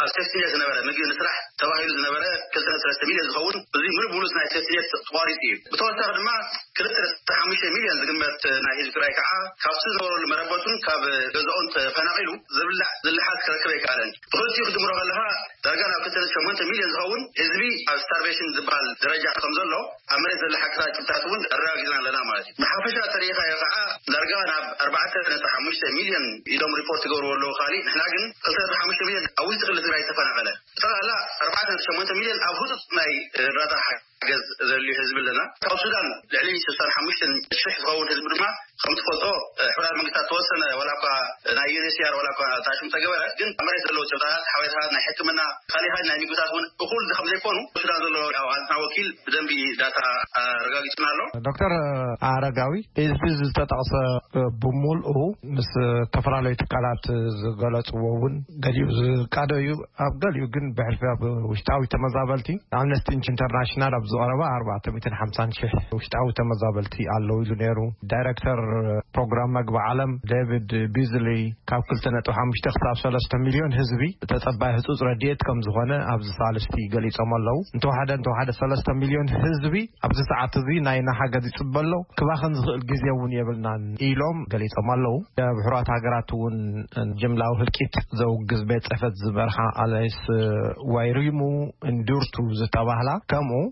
ኣብ ሴፍቲኔት ዝነበረ ምግቢ ንስራሕ ተባሂሉ ዝነበረ ክልተ ነጥቢ ሰለስተ ሚልዮን ዝኸውን እዚ ሙሉእ ብሙሉእ ናይ ሴፍቲኔት ተቋሪፁ እዩ። ብተወሳኺ ድማ ክልተ ነጥቢ ሓሙሽተ ሚልዮን ዝግመት ናይ ህዝቢ ትግራይ ከዓ ካብቲ ዝነበረሉ መረበቱን ካብ ገዛኡን ተፈናቒሉ ዝብላዕ ዝልሓስ ክረክብ ኣይከኣለን። ብኽልቲኡ ክትድምሮ ከለኻ ዳርጋ ናብ ክልተ ነጥቢ ሸሞንተ ሚልዮን ዝኸውን ህዝቢ ኣብ ስታርቬሽን ዝበሃል ደረጃ ከም ዘሎ ኣብ መሬት ዘሎ ሓቅታት ጭብጥታት እውን ኣረጋጊፅና ኣለና ማለት እዩ። ብሓፈሻ ተሪኢኻዮ ከዓ ዳርጋ ናብ ኣርባዕተ ነጥቢ ሓሙሽተ ሚልዮን ኢሎም ሪፖርት ይገብርዎ ኣለዉ ካሊእ፣ ንሕና ግን ክልተ ነጥቢ ሓሙሽተ ሚልዮን ኣብ ውሽጢ ክልል ትግራይ ዝተፈናቐለ፣ ብጠቕላላ ኣርባዕተ ነጥቢ ሸሞንተ ሚልዮን ኣብ ህፁፅ ናይ እርዳታ ሓገዝ ዘድልዩ ህዝቢ ኣለና። ካብ ሱዳን ልዕሊ ስሳን ሓሙሽተን ሽሕ ዝኸውን ህዝቢ ድማ ከም ትፈልጦ ሕቡራት መንግስታት ተወሰነ ዋላ እኳ ናይ ዩኤንኤችሲኣር ዋላ እኳ ታሽም ተገበረ፣ ግን ኣብ መሬት ዘለዉ ጭብጥታት ሓበሬታታት ናይ ሕክምና፣ ካሊኻት ናይ ምግብታት እውን እኹል ከም ዘይኮኑ ሱዳን ዘሎ ኣብ ዓለምና ወኪል ብደንቢ ዳታ ኣረጋጊጽና ኣሎ። ዶክተር ኣረጋዊ፣ እዚ ዝተጠቕሰ ብምልኡ ምስ ዝተፈላለዩ ትካላት ዝገለጽዎ እውን ገሊኡ ዝቃዶ እዩ። ኣብ ገሊኡ ግን ብሕልፊ ኣብ ውሽጣዊ ተመዛበልቲ ኣምነስቲ ኢንተርናሽናል ኣብ ዝቐረበ ኣርባዕተ ሚእትን ሓምሳን ሽሕ ውሽጣዊ ተመዛበልቲ ኣለዉ ኢሉ ነይሩ። ዳይሬክተር ፕሮግራም መግቢ ዓለም ዴቪድ ቢዝሊ ካብ ክልተ ነጥቢ ሓሙሽተ ክሳብ ሰለስተ ሚልዮን ህዝቢ ተጸባይ ህጹጽ ረድኤት ከም ዝኾነ ኣብዚ ሳልስቲ ገሊጾም ኣለዉ። እንተወሓደ እንተወሓደ ሰለስተ ሚልዮን ህዝቢ ኣብዚ ሰዓት እዚ ናይ ሓገዝ ይጽበ ኣሎ፣ ክባኸን ዝኽእል ግዜ እውን የብልናን ኢሎም ገሊጾም ኣለዉ። ብሕራት ሃገራት እውን ጅምላዊ ህልቂት ዘውግዝ ቤት ጽሕፈት ዝመርሓ ኣላይስ ዋይሪሙ እንዱርቱ ዝተባህላ ከምኡ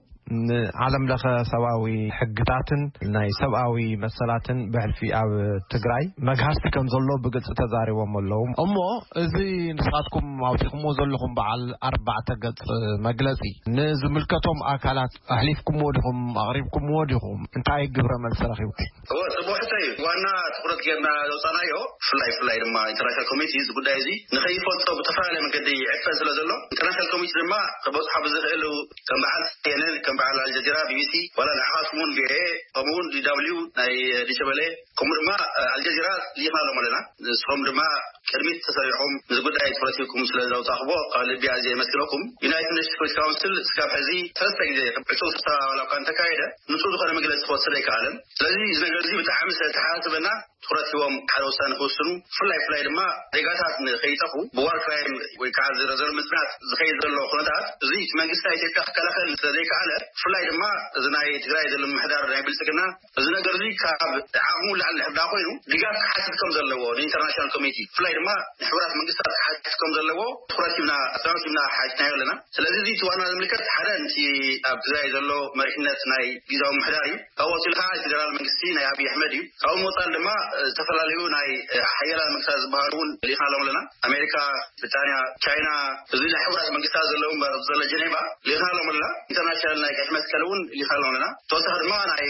ንዓለም ለኸ ሰብኣዊ ሕግታትን ናይ ሰብኣዊ መሰላትን ብሕልፊ ኣብ ትግራይ መግሃስቲ ከም ዘሎ ብግልፂ ተዛሪቦም ኣለዉ። እሞ እዚ ንስኻትኩም ኣውፂኹምዎ ዘለኹም በዓል ኣርባዕተ ገፅ መግለፂ ንዝምልከቶም ኣካላት ኣሕሊፍኩምዎ ዲኹም? ኣቕሪብኩምዎ ዲኹም? እንታይ ግብረ መልሲ ረኺብኩም? እወ፣ ጽቡቕ ሕቶ እዩ። ዋና ትኹረት ጌርና ዘውጻናዮ፣ ብፍላይ፣ ብፍላይ ድማ ኢንተርናሽናል ኮሚኒቲ እዚ ጉዳይ እዚ ንኸይፈልጦ ብተፈላለየ መንገዲ ይዕፈን ስለ ዘሎ፣ ኢንተርናሽናል ኮሚኒቲ ድማ ክበጽሖ ብዝኽእል ከም በዓል ሲ ኤን ኤን፣ ከም በዓል ኣልጀዚራ፣ ቢ ቢ ሲ፣ ዋላ ንዓኻትኩም እውን ቪ ኦ ኤ፣ ከምኡ እውን ዲ ደብሊው ናይ ዲሸበሌ፣ ከምኡ ድማ ኣልጀዚራ ልኢኽናሎም ኣለና። ንስኹም ድማ ቅድሚት ተሰሪዕኩም እዚ ጉዳይ ትኹረት ሂብኩም ስለ ዘውጻእኽዎ ካብ ልቢ ኣዝየ የመስግነኩም። ዩናይትድ ኔሽንስ ሴኩሪቲ ካውንስል እስካብ ሕዚ ሰለስተ ግዜ ዕጹው ስብሰባ ዋላ እኳ እንተካየደ ንጹር ዝኾነ መግለጺ ክወስድ ኣይከኣለን። ስለዚ እዚ ነገር እዚ ብጣዕሚ ስለ ተሓሳስበና ትኹረት ሂቦም ሓደ ውሳነ ክውስኑ፣ ብፍላይ ብፍላይ ድማ ዜጋታት ንኸይጠፉ ብዋር ክራይም ወይ ከዓ ዝረዘር ምጽናት ዝኸይድ ዘሎ ኩነታት እዚ እቲ መንግስቲ ናይ ኢትዮጵያ ክከላኸል ስለ ዘይከኣለ፣ ብፍላይ ድማ እዚ ናይ ትግራይ ዘሎ ምምሕዳር ናይ ብልጽግና እዚ ነገር እዚ ካብ ዓቕሙ ላዕሊ ድሕር ዳ ኮይኑ ድጋፍ ክሓትት ከም ዘለዎ ንኢንተርናሽናል ኮሚኒቲ ብፍላይ ድማ ንሕቡራት መንግስታት ክሓትት ከም ዘለዎ ትኹረት ሂብና ኣጽንኦት ሂብና ሓቲትናዮ ኣለና። ስለዚ እዚ እቲ ዋና ዝምልከት ሓደ ነቲ ኣብ ትግራይ ዘሎ መሪሕነት ናይ ግዝያዊ ምምሕዳር እዩ። ካብኡ ወፂኡ ከዓ ፌደራል መንግስቲ ናይ ኣብይ ኣሕመድ እዩ። ካብኡ ምውፃል ድማ ዝተፈላለዩ ናይ ሓያላን መንግስታት ዝበሃሉ እውን ልኢኻሎም ኣለና። ኣሜሪካ፣ ብሪጣንያ፣ ቻይና፣ እዚ ናይ ሕቡራት መንግስታት ዘለዉ ዘሎ ጀኔቫ ልኢኻሎም ኣለና። ኢንተርናሽናል ናይ ቀይሕ መስቀል እውን ልኢኻሎም ኣለና። ተወሳኺ ድማ ናይ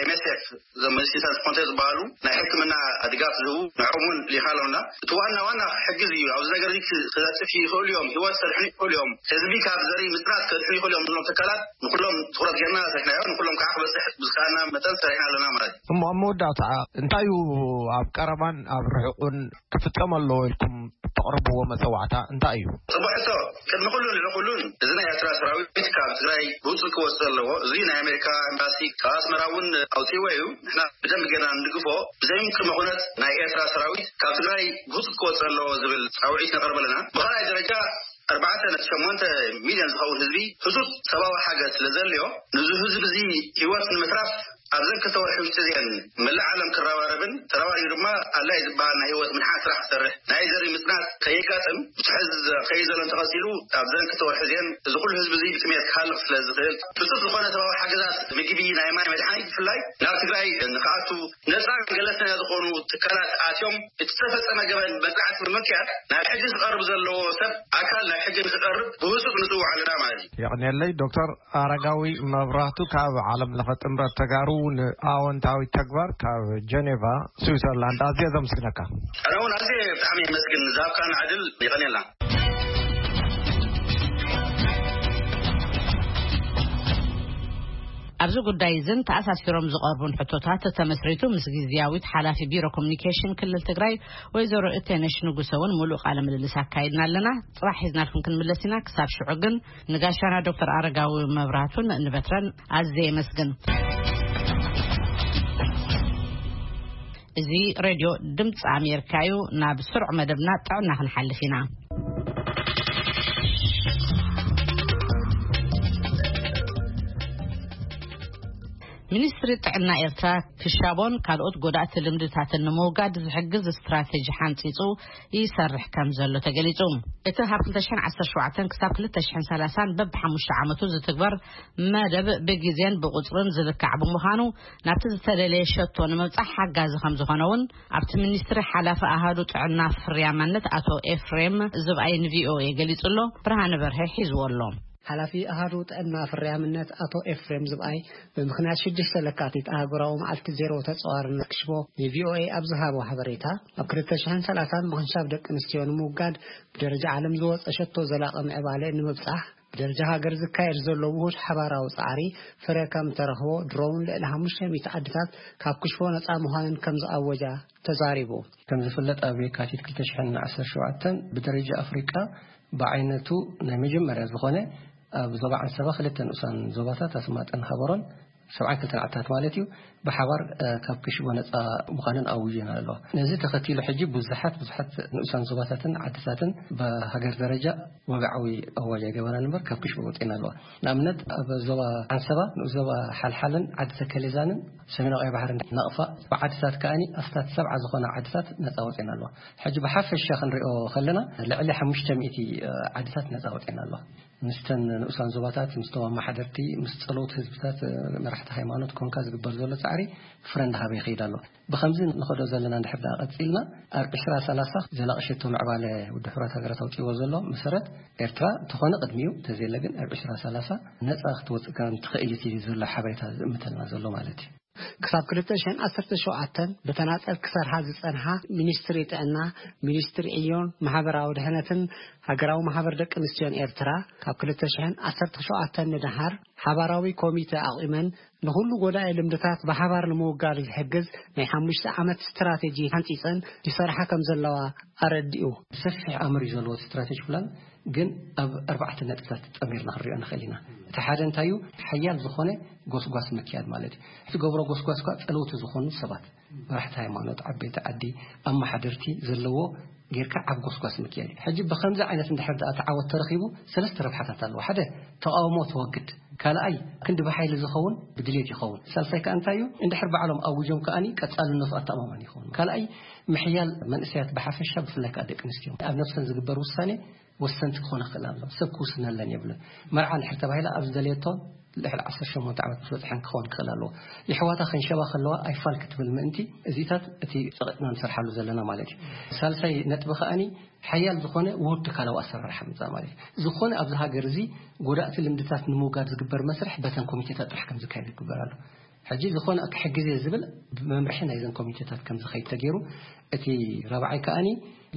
ኤም ኤስ ኤፍ እዞም መዲሲን ትራንስፖንተር ዝበሃሉ ናይ ሕክምና ድጋፍ ዝህቡ ንዕኦም እውን ልኢኻሎም ኣለና። እቲ ዋና ዋና ክሕግዝ እዩ። ኣብዚ ነገር እዚ ክነጥፍ ይኽእሉ እዮም፣ ህይወት ክሰድሑ ይኽእሉ እዮም፣ ህዝቢ ካብ ዘርኢ ምጽናት ከድሕኑ ይኽእሉ እዮም ዝብሎም ትካላት ንኩሎም ትኹረት ጌርና ሰሪሕናዮ። ንኩሎም ከዓ ክበፅሕ ብዝከኣልና መጠን ሰሪሕና ኣለና ማለት እዩ። እሞ ኣብ መወዳእታ እንታይ እዩ ኣብ ቀረባን ኣብ ርሑቕን ክፍጸም ኣለዎ ኢልኩም እተቕርብዎ መጸዋዕታ እንታይ እዩ? ጽቡቕ ሕቶ። ቅድሚ ኩሉን ልዕሊ ኩሉን እዚ ናይ ኤርትራ ሰራዊት ካብ ትግራይ ብውጹእ ክወጽእ ኣለዎ። እዚ ናይ ኣሜሪካ ኤምባሲ ካብ ኣስመራ እውን ኣውጺእዎ እዩ። ንሕና ብደንብ ጌርና ንድግፎ። ብዘይምቅድመ ኩነት ናይ ኤርትራ ሰራዊት ካብ ትግራይ ብውጹእ ክወጽእ ኣለዎ ዝብል ጻውዒት ነቕርብ ኣለና። ብኻልኣይ ደረጃ ኣርባዕተ ነጥቢ ሸሞንተ ሚልዮን ዝኸውን ህዝቢ ህጹጽ ሰብኣዊ ሓገዝ ስለ ዘድልዮ፣ ንዚ ህዝቢ እዚ ህይወት ንምትራፍ ኣብዘን ክልተ ወርሒ ውሽጢ እዚአን መላእ ዓለም ክረባረብን ተረባሪቡ ድማ ኣድላይ ዝበሃል ናይ ህይወት ምድሓን ስራሕ ክሰርሕ፣ ናይ ዘርኢ ምጽናት ከየጋጥም፣ ብዙሕ ህዝቢ ከይዘሎ እንተቐጺሉ ኣብዘን ክልተ ወርሒ እዚአን እዚ ኩሉ ህዝቢ እዚ ብጥሜት ክሃልቕ ስለ ዝኽእል፣ ህጹጽ ዝኾነ ሰብኣዊ ሓገዛት፣ ምግቢ፣ ናይ ማይ፣ መድሓኒት ብፍላይ ናብ ትግራይ ንኽኣቱ ነፃ ገለልተኛ ዝኾኑ ትካላት ኣትዮም እቲ ዝተፈጸመ ገበን መጽናዕቲ ብምክያድ ናብ ሕጊ ክቐርብ ዘለዎ ሰብ ኣካል ናብ ሕጊ ንክቐርብ ብህጹጽ ንጽውዕ ኣለና ማለት እዩ። የቕንየለይ። ዶክተር ኣረጋዊ መብራህቱ ካብ ዓለም ለኸ ጥምረት ተጋሩ ንኣወንታዊ ተግባር ካብ ጀኔቫ ስዊዘርላንድ ኣዝየ ዘምስግነካ። ኣነ እውን ኣዝየ ብጣዕሚ የመስግን ንዝሃብካና ዕድል። የቐንየልና። ኣብዚ ጉዳይ እዝን ተኣሳሲሮም ዝቐርቡን ሕቶታት ተመስሪቱ ምስ ግዝያዊት ሓላፊ ቢሮ ኮሚኒኬሽን ክልል ትግራይ ወይዘሮ እቴነሽ ንጉሰ እውን ሙሉእ ቃለ ምልልስ ኣካይድና ኣለና። ጽባሕ ሒዝናልኩም ክንምለስ ኢና። ክሳብ ሽዑ ግን ንጋሻና ዶክተር ኣረጋዊ መብራቱን ንበትረን ኣዝየ የመስግን። እዚ ሬድዮ ድምፂ ኣሜሪካ እዩ። ናብ ስሩዕ መደብና ጥዕና ክንሓልፍ ኢና። ሚኒስትሪ ጥዕና ኤርትራ ክሻቦን ካልኦት ጎዳእቲ ልምድታትን ንምውጋድ ዝሕግዝ ስትራቴጂ ሓንጺጹ ይሰርሕ ከም ዘሎ ተገሊጹ። እቲ ካብ ክልተ ሽሕን ዓሰርተ ሸውዓተን ክሳብ ክልተ ሽሕን ሰላሳን በብሓሙሽተ ዓመቱ ዝትግበር መደብ ብግዜን ብቁጽርን ዝልካዕ ብምዃኑ፣ ናብቲ ዝተደለየ ሸቶ ንምብጻሕ ሓጋዚ ከም ዝኾነ እውን ኣብቲ ሚኒስትሪ ሓላፊ ኣሃዱ ጥዕና ፍርያማነት ኣቶ ኤፍሬም ዝብኣይ ን ቪ ኦ ኤ ገሊጹ ኣሎ። ብርሃነ በርሀ ሒዝዎ ኣሎ። ሓላፊ ኣሃዱ ጥዕና ፍርያምነት ኣቶ ኤፍሬም ዝብኣይ ብምኽንያት ሽዱሽተ ለካቲት ኣህጉራዊ መዓልቲ ዜሮ ተጻዋርነት ክሽቦ ንቪኦኤ ኣብ ዝሃቦ ሓበሬታ፣ ኣብ ክልተ ሽሕን ሰላሳን ምኽንሻብ ደቂ ኣንስትዮ ንምውጋድ ብደረጃ ዓለም ዝወጸ ሸቶ ዘላቒ ምዕባለ ንምብጻሕ ብደረጃ ሃገር ዝካየድ ዘሎ ውሁድ ሓባራዊ ጻዕሪ ፍረ ከም ተረኽቦ ድሮውን ልዕሊ ሓሙሽተ ሚእቲ ዓድታት ካብ ክሽቦ ነጻ ምዃነን ከም ዝኣወጃ ተዛሪቡ። ከም ዝፍለጥ ኣብ የካቲት ክልተ ሽሕን ዓሰርተ ሸውዓተን ብደረጃ ኣፍሪቃ ብዓይነቱ ናይ መጀመርያ ዝኾነ ኣብ ዞባ ዓንሰባ ክልተ ንኡሳን ዞባታት ኣስማጠን ሃበሮን ሰብዓን ክልተን ዓድታት ማለት እዩ ብሓባር ካብ ክሽቦ ነጻ ምዃነን ኣውጅን ኣለዋ። ነዚ ተኸቲሉ ሕጂ ብዙሓት ብዙሓት ንኡሳን ዞባታትን ዓድታትን ብሃገር ደረጃ ወግዓዊ ኣዋጅ ኣይገበራን እምበር ካብ ክሽቦ ወጺኤን ኣለዋ። ንኣብነት ኣብ ዞባ ዓንሰባ ንኡስ ዞባ ሓልሓልን ዓዲ ተከሌዛንን ሰሜናዊ ቀይ ባሕርን ናቕፋ ብዓድታት ከኣኒ ኣስታት ሰብዓ ዝኾና ዓድታት ነጻ ወጺኤን ኣለዋ። ሕጂ ብሓፈሻ ክንሪኦ ከለና ልዕሊ ሓሙሽተ ሚእቲ ዓድታት ነጻ ወጺኤን ኣለዋ። ምስተን ንኡሳን ዞባታት፣ ምስቶም ኣመሓደርቲ፣ ምስ ጸለውቲ ህዝብታት፣ መራሕቲ ሃይማኖት ኮንካ ዝግበር ዘሎ ጻዕሪ ፍረ እንዳሃበ ይኸይድ ኣሎ። ብኸምዚ ንኸዶ ዘለና እንድሕር ደኣ ቀጺልና ኣብ ዕስራ ሰላሳ ዘላቒ ሸቶ ምዕባለ ውድብ ሕቡራት ሃገራት ኣውጺዎ ዘሎ መሰረት ኤርትራ እንተኾነ ቅድሚኡ እንተዘየለ ግን ኣብ ዕስራ ሰላሳ ነጻ ክትወጽእ ከም ትኽእል እዩ ዘሎ ሓበሬታ ዝእምተልና ዘሎ ማለት እዩ። ክሳብ ክልተ ሽሕን ዓሰርተ ሸውዓተን ብተናጸል ክሰርሓ ዝጸንሓ ሚኒስትሪ ጥዕና፣ ሚኒስትሪ ዕዮን ማሕበራዊ ድሕነትን ሃገራዊ ማሕበር ደቂ ኣንስትዮን ኤርትራ ካብ ክልተ ሽሕን ዓሰርተ ሸውዓተን ንደሓር ሓባራዊ ኮሚተ ኣቑመን ንኹሉ ጎዳኢ ልምድታት ብሓባር ንምውጋድ ዝሕግዝ ናይ ሓሙሽተ ዓመት ስትራቴጂ ሓንጺጸን ይሰርሓ ከም ዘለዋ ኣረዲኡ። ሰፊሕ ኣምር እዩ ዘለዎ ስትራቴጂ ፕላን፣ ግን ኣብ ኣርባዕተ ነጥብታት ጠሚርና ክንሪኦ ንኽእል ኢና። እቲ ሓደ እንታይ እዩ? ሓያል ዝኾነ ጎስጓስ ምክያድ ማለት እዩ። እትገብሮ ጎስጓስ እኳ ጸለውቲ ዝኾኑ ሰባት፣ መራሕቲ ሃይማኖት፣ ዓበይቲ ዓዲ፣ ኣመሓደርቲ ዘለዎ ጌርካ ዓብ ጎስጓስ ምክያድ እዩ። ሕጂ ብኸምዚ ዓይነት እንድሕር ደኣ ተዓወት ተረኺቡ ሰለስተ ረብሓታት ኣለዎ። ሓደ፣ ተቃውሞ ተወግድ። ካልኣይ፣ ክንዲ ብሓይሊ ዝኸውን ብድሌት ይኸውን። ሳልሳይ ከኣ እንታይ እዩ? እንድሕር ባዕሎም ኣውጆም ከኣኒ ቀጻልነቱ ኣተኣማማኒ ይኸውን። ካልኣይ፣ ምሕያል መንእሰያት ብሓፈሻ ብፍላይ ከኣ ደቂ ኣንስትዮ ኣብ ነብሰን ዝግበር ውሳኔ ወሰንቲ ክኾና ክኽእል ኣለዎ። ሰብ ክውስነለን የብለን። መርዓ እንድሕር ተባሂላ ኣብ ዝደለየቶ ልዕሊ ዓሰርተ ሸሞንተ ዓመት ምስ በጽሐን ክኸውን ክኽእል ኣለዎ። የሕዋታ ከንሸባ ከለዋ ኣይፋል ክትብል ምእንቲ እዚታት እቲ ጸቒጥና ንሰርሓሉ ዘለና ማለት እዩ። ሳልሳይ ነጥቢ ከኣኒ ሓያል ዝኾነ ውሁድ ትካላዊ ኣሰራርሓ ምጻእ ማለት እዩ። ዝኾነ ኣብዚ ሃገር እዚ ጎዳእቲ ልምድታት ንምውጋድ ዝግበር መስርሕ በተን ኮሚቴታት ጥራሕ ከም ዝካየድ ይግበር ኣሎ። ሕጂ ዝኾነ ክሕግዝ እየ ዝብል ብመምርሒ ናይዘን ኮሚቴታት ከም ዝኸይድ ተገይሩ፣ እቲ ራብዓይ ከኣኒ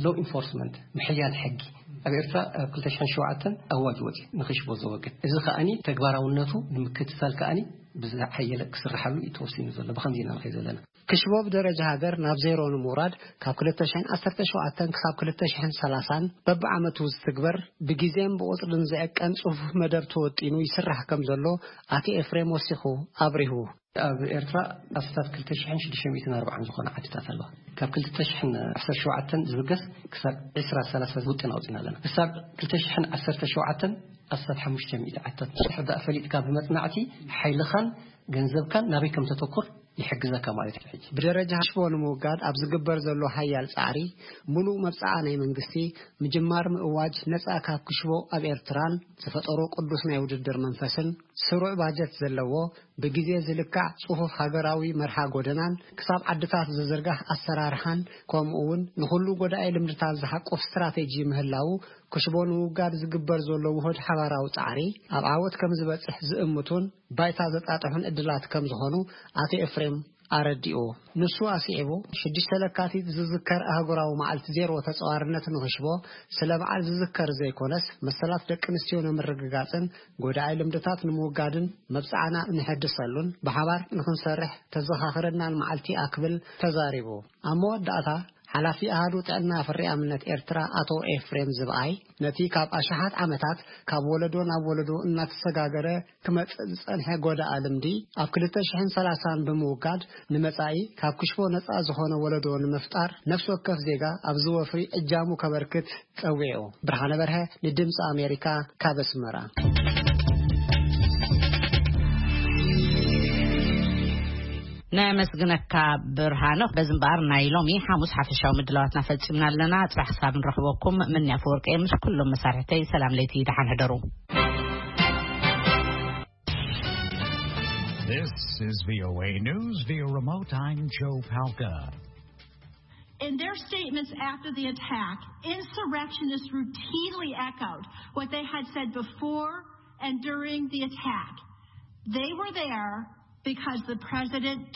ሎ ኢንፎርስመንት ምሕያል ሕጊ ኣብ ኤርትራ ኣብ ክልተ ሽሕን ሸውዓተን ኣዋጅ ወጺኡ ንኽሽቦ ዘወግድ። እዚ ከኣኒ ተግባራውነቱ ንምክትታል ከኣኒ ብዝሓየለ ክስርሓሉ እዩ ተወሲኑ ዘሎ። ብኸምዚ ኢና ንኸይድ ዘለና። ክሽቦ ብደረጃ ሃገር ናብ ዜሮ ንምውራድ ካብ ክልተ ሽሕን ዓሰርተ ሸውዓተን ክሳብ ክልተ ሽሕን ሰላሳን በብዓመቱ ዝትግበር ብግዜን ብቁጽርን ዝዕቀን ጽፉፍ መደብ ተወጢኑ ይስራሕ ከም ዘሎ ኣቶ ኤፍሬም ወሲኹ ኣብሪሁ። ኣብ ኤርትራ ኣስታት ክልተ ሽሕን ሽዱሽተ ሚእትን ኣርባዓን ዝኾና ዓድታት ኣለዋ። ካብ ክልተ ሽሕን ዓሰርተ ሸውዓተን ዝብገስ ክሳብ ዕስራ ሰላሳ ውጥን ኣውጺና ኣለና። ክሳብ ክልተ ሽሕን ዓሰርተ ሸውዓተን ኣስታት ሓሙሽተ ሚእቲ ዓድታት ምስ ድሕር ደኣ ፈሊጥካ ብመጽናዕቲ ሓይልኻን ገንዘብካን ናበይ ከም ተተኩር ይሕግዘካ ማለት እዩ። ሕጂ ብደረጃ ክሽቦ ንምውጋድ ኣብ ዝግበር ዘሎ ሓያል ጻዕሪ፣ ምሉእ መብጽዓ ናይ መንግስቲ፣ ምጅማር ምእዋጅ ነጻ ካብ ክሽቦ ኣብ ኤርትራን ዝፈጠሮ ቅዱስ ናይ ውድድር መንፈስን፣ ስሩዕ ባጀት ዘለዎ፣ ብግዜ ዝልካዕ ጽፉፍ ሃገራዊ መርሃ ጎደናን ክሳብ ዓድታት ዝዝርጋሕ ኣሰራርሓን፣ ከምኡ እውን ንኹሉ ጎዳኢ ልምድታት ዝሓቁፍ ስትራቴጂ ምህላው፣ ክሽቦ ንምውጋድ ዝግበር ዘሎ ውሁድ ሓባራዊ ጻዕሪ ኣብ ዓወት ከም ዝበጽሕ ዝእምቱን ባይታ ዘጣጥሑን ዕድላት ከም ዝኾኑ ኣቶ ኤፍሬም ኣረዲኡ። ንሱ ኣስዒቡ፣ ሽዱሽተ ለካቲት ዝዝከር ኣህጉራዊ መዓልቲ ዜሮ ተጻዋርነት ንኽሽቦ ስለ በዓል ዝዝከር ዘይኮነስ፣ መሰላት ደቂ ኣንስትዮ ንምርግጋጽን ጎዳኢ ልምድታት ንምውጋድን መብጽዓና ንሕድሰሉን ብሓባር ንኽንሰርሕ ተዘኻኽረናን መዓልቲ እያ ክብል ተዛሪቡ። ኣብ መወዳእታ፣ ሓላፊ ኣሃዱ ጥዕና ፍርያምነት ኤርትራ ኣቶ ኤፍሬም ዝብኣይ፣ ነቲ ካብ ኣሽሓት ዓመታት ካብ ወለዶ ናብ ወለዶ እናተሰጋገረ ክመጽእ ዝጸንሐ ጎዳኢ ልምዲ ኣብ ክልተ ሽሕን ሰላሳን ብምውጋድ ንመጻኢ ካብ ክሽቦ ነጻ ዝኾነ ወለዶ ንምፍጣር ነፍሲ ወከፍ ዜጋ ኣብዚ ወፍሪ እጃሙ ከበርክት ጸዊዑ። ብርሃነ በርሀ ንድምጺ ኣሜሪካ ካብ ኣስመራ። ነመስግነካ ብርሃኖ። በዚ እምበኣር ናይ ሎሚ ሓሙስ ሓፈሻዊ ምድላዋትና ፈጺምና ኣለና። ጽባሕ ክሳብ ንረኽበኩም ምንያ ፈወርቂ ምስ ኩሎም መሳርሕተይ ሰላም ለይቲ ደሓን ሕደሩ። This is V O A News via remote. I'm Joe Palca. In their statements after the attack, insurrectionists routinely echoed what they had said before And during the attack, they were there because the president